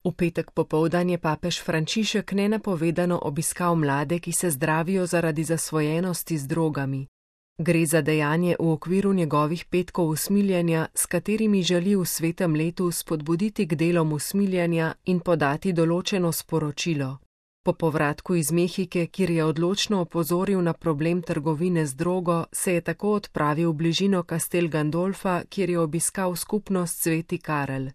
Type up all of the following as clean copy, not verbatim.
V petek popoldan je papež Frančišek nenapovedano obiskal mlade, ki se zdravijo zaradi zasvojenosti z drogami. Gre za dejanje v okviru njegovih petkov usmiljenja, s katerimi želi v svetem letu spodbuditi k delom usmiljenja in podati določeno sporočilo. Po povratku iz Mehike, kjer je odločno opozoril na problem trgovine z drogo, se je tako odpravil v bližino Castel Gandolfa, kjer je obiskal skupnost Sveti Karel.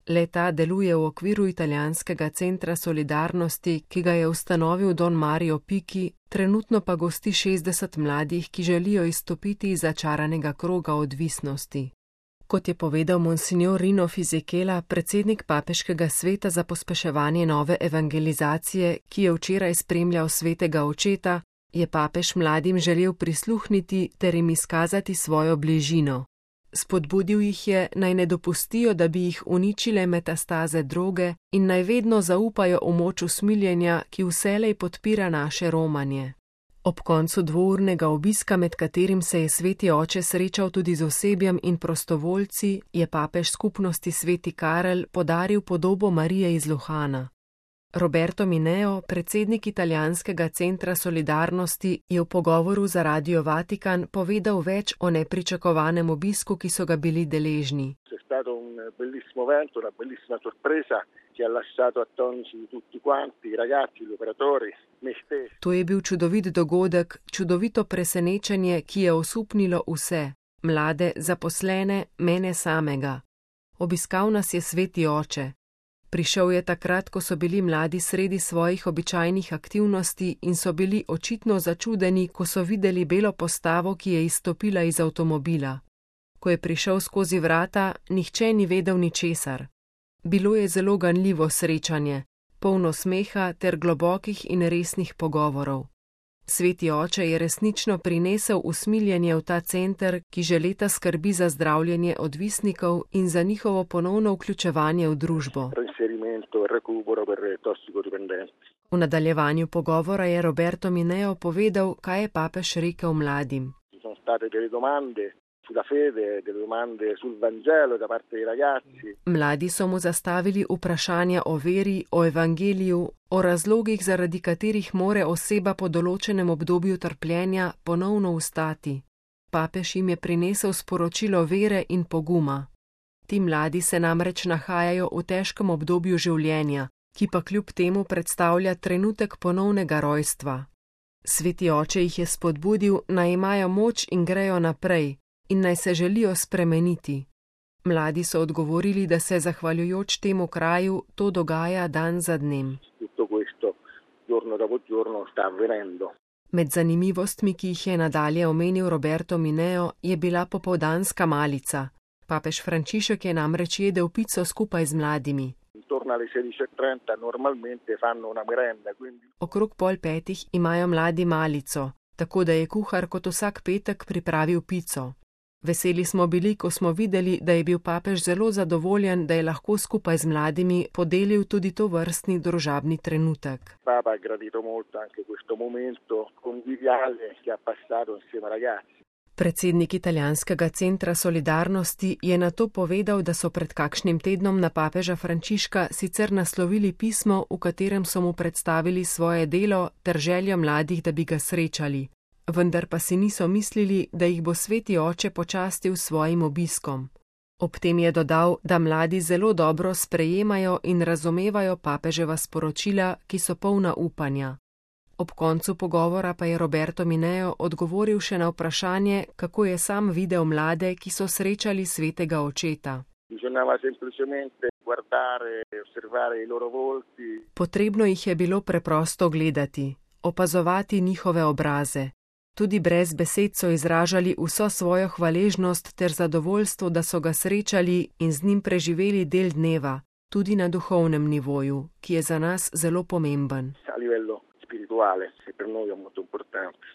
Le-ta deluje v okviru italijanskega centra solidarnosti, ki ga je ustanovil Don Mario Picchi, trenutno pa gosti 60 mladih, ki želijo izstopiti iz začaranega kroga odvisnosti. Kot je povedal monsignor Rino Fisichella, predsednik papeškega sveta za pospeševanje nove evangelizacije, ki je včeraj spremljal svetega očeta, je papež mladim želel prisluhniti ter jim izkazati svojo bližino. Spodbudil jih je, naj ne dopustijo, da bi jih uničile metastaze droge in naj vedno zaupajo v moč usmiljenja, ki vselej podpira naše romanje. Ob koncu dvournega obiska, med katerim se je sveti oče srečal tudi z osebjem in prostovoljci, je papež skupnosti Sveti Karel podaril podobo Marije iz Luhana. Roberto Mineo, predsednik italijanskega centra solidarnosti, je v pogovoru za Radio Vatikan povedal več o nepričakovanem obisku, ki so ga bili deležni. To je bil čudovit dogodek, čudovito presenečenje, ki je osupnilo vse, mlade, zaposlene, mene samega. Obiskal nas je sveti oče. Prišel je takrat, ko so bili mladi sredi svojih običajnih aktivnosti in so bili očitno začudeni, ko so videli belo postavo, ki je izstopila iz avtomobila. Ko je prišel skozi vrata, nihče ni vedel ničesar. Bilo je zelo ganljivo srečanje, polno smeha ter globokih in resnih pogovorov. Sveti oče je resnično prinesel usmiljenje v ta center, ki že leta skrbi za zdravljenje odvisnikov in za njihovo ponovno vključevanje v družbo. V nadaljevanju pogovora je Roberto Mineo povedal, kaj je papež rekel mladim. Mladi so mu zastavili vprašanja o veri, o evangeliju, o razlogih, zaradi katerih more oseba po določenem obdobju trpljenja ponovno vstati. Papež jim je prinesel sporočilo vere in poguma. Ti mladi se namreč nahajajo v težkem obdobju življenja, ki pa kljub temu predstavlja trenutek ponovnega rojstva. Sveti oče jih je spodbudil, naj imajo moč in grejo naprej, in naj se želijo spremeniti. Mladi so odgovorili, da se zahvaljujoč temu kraju to dogaja dan za dnem. Med zanimivostmi, ki jih je nadalje omenil Roberto Mineo, je bila popoldanska malica. Papež Frančišek je namreč jedel pico skupaj z mladimi. Okrog 4:30 imajo mladi malico, tako da je kuhar kot vsak petek pripravil pico. Veseli smo bili, ko smo videli, da je bil papež zelo zadovoljen, da je lahko skupaj z mladimi podelil tudi to vrstni družabni trenutek. Predsednik italijanskega centra solidarnosti je nato povedal, da so pred kakšnim tednom na papeža Frančiška sicer naslovili pismo, v katerem so mu predstavili svoje delo ter željo mladih, da bi ga srečali. Vendar pa si niso mislili, da jih bo sveti oče počastil s svojim obiskom. Ob tem je dodal, da mladi zelo dobro sprejemajo in razumevajo papeževa sporočila, ki so polna upanja. Ob koncu pogovora pa je Roberto Mineo odgovoril še na vprašanje, kako je sam videl mlade, ki so srečali svetega očeta. Potrebno jih je bilo preprosto gledati, opazovati njihove obraze. Tudi brez besed so izražali vso svojo hvaležnost ter zadovoljstvo, da so ga srečali in z njim preživeli del dneva, tudi na duhovnem nivoju, ki je za nas zelo pomemben.